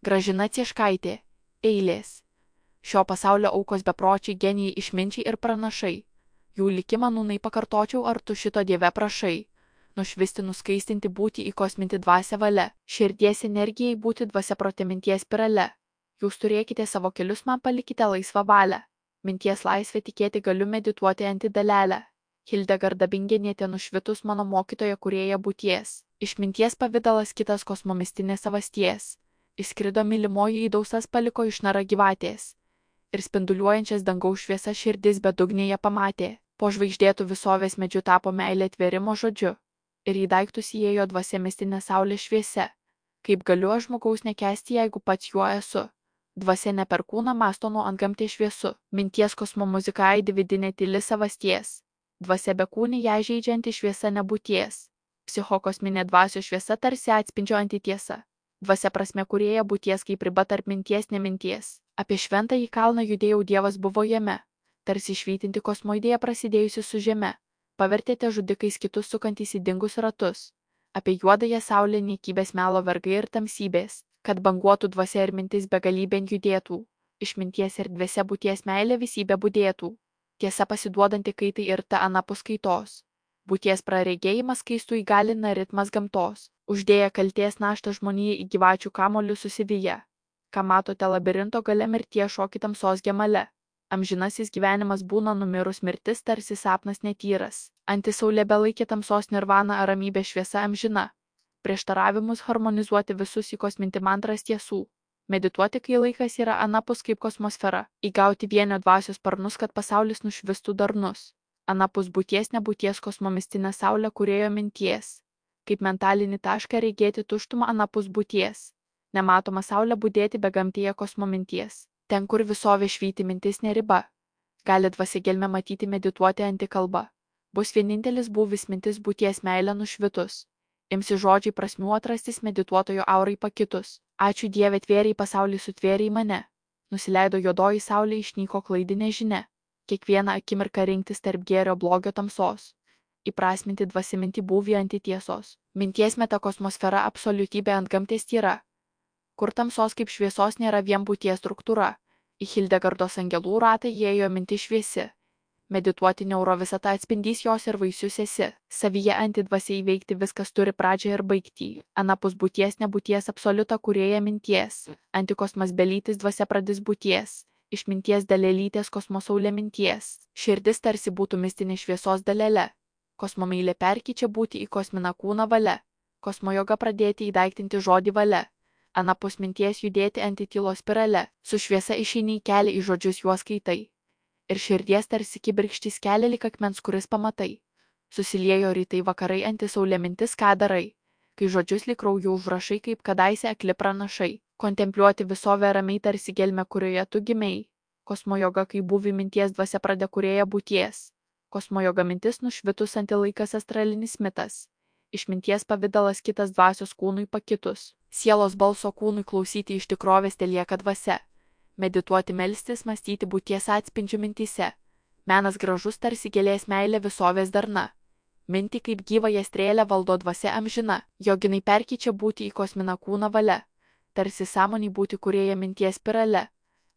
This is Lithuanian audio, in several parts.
Gražina Cieškaitė. Eilės. Šio pasaulio aukos bepročiai, genijai, išminčiai ir pranašai. Jų likimą nūnai pakartočiau, ar tu šito Dieve prašai. Nušvisti, nuskaistinti, būti, įkosminti dvasią valia. Širdies energijai būti dvasia prote minties spirale. Jūs turėkite savo kelius, man palikite laisvą valią. Minties laisvę tikėti galiu, medituoti antidalelę. Hildegarda Bingenietė nušvitus mano mokytoja kūrėja būties. Išminties pavidalas kitas kosmomistinės savasties. Įskrido mylimoji į dausas, paliko išnara gyvatės. Ir spinduliuojančias dangaus šviesa širdis bedugnėje pamatė. Po žvaigždėtų visovės medžiu tapo meilė tvėrimo žodžiu. Ir į daiktus įėjo dvasia mistinė saulė šviesia. Kaip galiu aš žmogaus nekęsti, jeigu pats juo esu. Dvasia ne per kūną mąsto nuo antgamtė šviesu. Minties kosmo muzika aidi vidinė tyli savasties. Dvasia bekūnį ją žeidžianti šviesa nebūties. Psichokosminė dvasios šviesa tarsi atspindžiojanti tiesa. Dvasia prasme kūrėja būties kaip riba tarp minties neminties. Apie šventąjį kalną judėjau, Dievas buvo jame. Tarsi švytinti kosmo idėja prasidėjusi su žeme. Pavertėte žudikais kitus sukantys į dingus ratus. Apie juodąją saulę niekybės melo vergai ir tamsybės, kad banguotų dvasia ir mintis begalybėn judėtų. Išminties erdvėse būties meilė visybė budėtų. Tiesa pasiduodanti kaitai ir ta anapus kaitos. Būties praregėjimas keistų įgalina ritmas gamtos. Uždėję kalties naštą žmonijai į gyvačių kamolius susivyję. Ką matote labirinto gale, mirties šokį tamsos gemale. Amžinasis gyvenimas būna numirus, mirtis tarsi sapnas netyras. Antisaulė belaikė tamsos nirvana ar ramybė šviesa amžina. Prieštaravimus harmonizuoti visus įkosminti mantras tiesų. Medituoti, kai laikas yra anapus kaip kosmosfera. Įgauti vienio dvasios sparnus, kad pasaulis nušvistų darnus. Anapus būties nebūties kosmomistinė saulė kūrėjo minties. Kaip mentalinį tašką regėti tuštumą anapus būties. Nematoma saulė budėti begamtėje kosmo minties. Ten, kur visovė švyti mintis neriba. Gali dvasia gelme matyti, medituoti antikalba. Bus vienintelis būvis mintis būties meilė nušvitus. Imsi žodžiai prasmių atrastis, medituotojo aurai pakitus. Ačiū Dieve, tvėriai pasaulį sutvėriai mane. Nusileido juodoji saulė, išnyko klaidinė žinia. Kiekvieną akimirką rinktis tarp gėrio blogio tamsos. Įprasminti dvasiminti būvį antitiesos. Minties metakosmosfera absoliutybė antgamtės tyra. Kur tamsos kaip šviesos nėra vien būties struktūra. Į Hildegardos angelų ratą įėjo mintis šviesi. Medituoti neurovisata atspindys jos ir vaisius esi. Savyje antidvasia įveikti viskas turi pradžią ir baigtį. Anapus būties nebūties absoliuta kūrėja minties. Antikosmas belytis dvasia pradis būties. Išminties dalelytės kosmosaulė minties. Širdis tarsi būtų mistinė šviesos dalelė. Kosmo meilė perkyčia būti į kosminą kūną valia. Kosmo joga pradėti įdaiktinti žodį valia. Anapus minties judėti antitylos spirale. Su šviesa išeini į kelią, į žodžius juos skaitai. Ir širdies tarsi kibirkštys kelia lyg akmens, kuris pamatai. Susiliejo rytai vakarai, antisaulė mintis, ką darai. Kai žodžius lyg krauju užrašai, kaip kadaise akli pranašai. Kontempliuoti visovę ramiai tarsi gelmę, kurioje tu gimei. Kosmo joga, kai būvi minties dvasia pradė kūrėja būties. Kosmo joga mintis nušvitus antilaikas astralinis mitas. Išminties pavidalas kitas dvasios kūnui pakitus. Sielos balso kūnui klausyti iš tikrovės telieka dvasia. Medituoti, melstis, mąstyti būties atspindžių mintyse. Menas gražus tarsi gėlės meilė visovės darna. Minti kaip gyvąją strėlę valdo dvasia amžina. Joginai perkyčia būti į kosminą kūną valia. Tarsi sąmonį būti kūrėja minties spirale.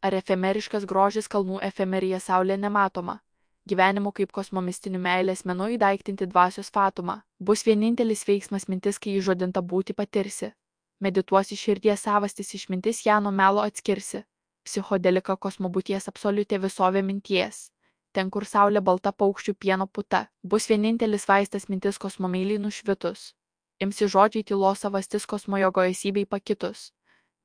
Ar efemeriškas grožis kalnų efemerija saulė nematoma. Gyvenimu kaip kosmomistinių meilės menu įdaiktinti dvasios fatumą. Bus vienintelis veiksmas mintis, kai įžodinta būti patirsi. Medituosi širdies savastis išmintis, ją nuo melo atskirsi. Psichodelika kosmo būties absoliutė visovė minties. Ten, kur saulė balta paukščių pieno puta, bus vienintelis vaistas mintis kosmo meiliai nušvitus. Imsi žodžiai tylos savastis kosmo jogo esybei pakitus.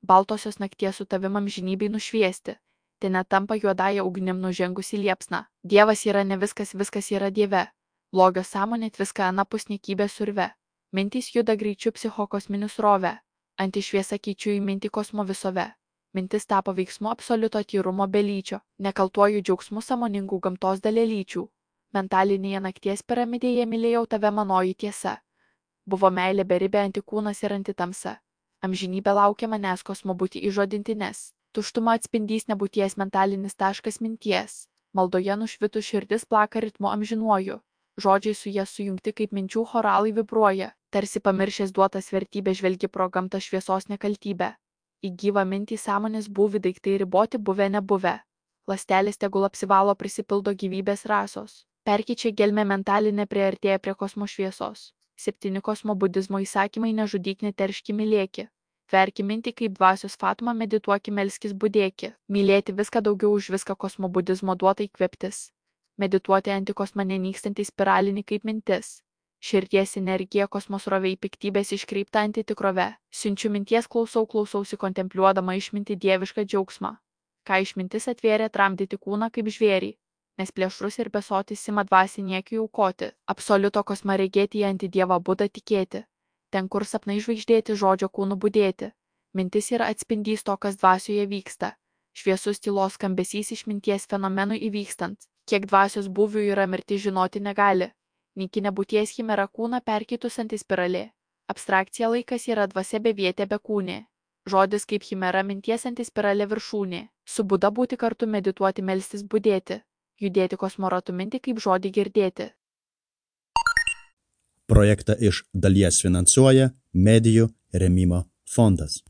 Baltosios nakties su tavim amžinybei nušviesti. Ten netampa juodąją ugnim nužengusi liepsna. Dievas yra ne viskas, viskas yra Dieve. Blogio sąmonė viską anapus niekybės urve. Mintys juda greičiu psichokosminiu srove. Antišviesa keičiu į mintį kosmo visove. Mintis tapo veiksmu absoliuto tyrumo belyčio, nekaltuoju džiaugsmu sąmoningų gamtos dalelyčių. Mentalinėje nakties piramidėje mylėjau tave, manoji tiesa. Buvo meilė beribė antikūnas ir antitamsa. Amžinybė laukia manęs kosmo būti įžodintinės. Tuštuma atspindys nebūties mentalinis taškas minties. Maldoje nušvitų širdis plaka ritmu amžinuoju. Žodžiai su jie sujungti kaip minčių choralai vibruoja. Tarsi pamiršęs duotas vertybę žvelgi pro gamtą šviesos nekaltybę. Į gyvą mintį sąmonės būvį daiktai riboti buvę nebuvę. Ląstelės tegul apsivalo prisipildo gyvybės rasos. Perkeičia gelmę mentalinę priartėja prie kosmo šviesos. 7 kosmo budizmo įsakymai nežudyk, neterški, mylėki. Verki mintį kaip dvasios Fatma, medituoki, melskis, budėki. Mylėti viską daugiau už viską kosmo budizmo duota įkvėptis. Medituoti antikosmą nenykstantį spiralinį kaip mintis. Širdies energija kosmosroviai piktybės iškreipta antitikrove. Siunčiu minties klausausi kontempliuodama išminti dievišką džiaugsmą. Ką išmintis atvėrė tramdyti kūną kaip žvėrį. Nes plėšrus ir besotis ima dvasį niekiui aukoti. Absoliuto kosmą regėti į antidievą Budą tikėti. Ten, kur sapnai žvaigždėti, žodžio kūnų budėti. Mintis yra atspindys to, kas dvasioje vyksta. Šviesus tylos skambesys išminties fenomenų įvykstant. Kiek dvasios būvių yra mirtis žinoti negali. Nykinė būties chimera kūną perkeitusanti spiralė. Abstrakcija laikas yra dvasia bevietė bekūnė. Žodis kaip chimera minties antispiralė viršūnė. Su Buda būti kartu, medituoti, melstis, budėti. Judėti kosmoratu mintį kaip žodį girdėti. Projektą iš dalies finansuoja Medijų rėmimo fondas.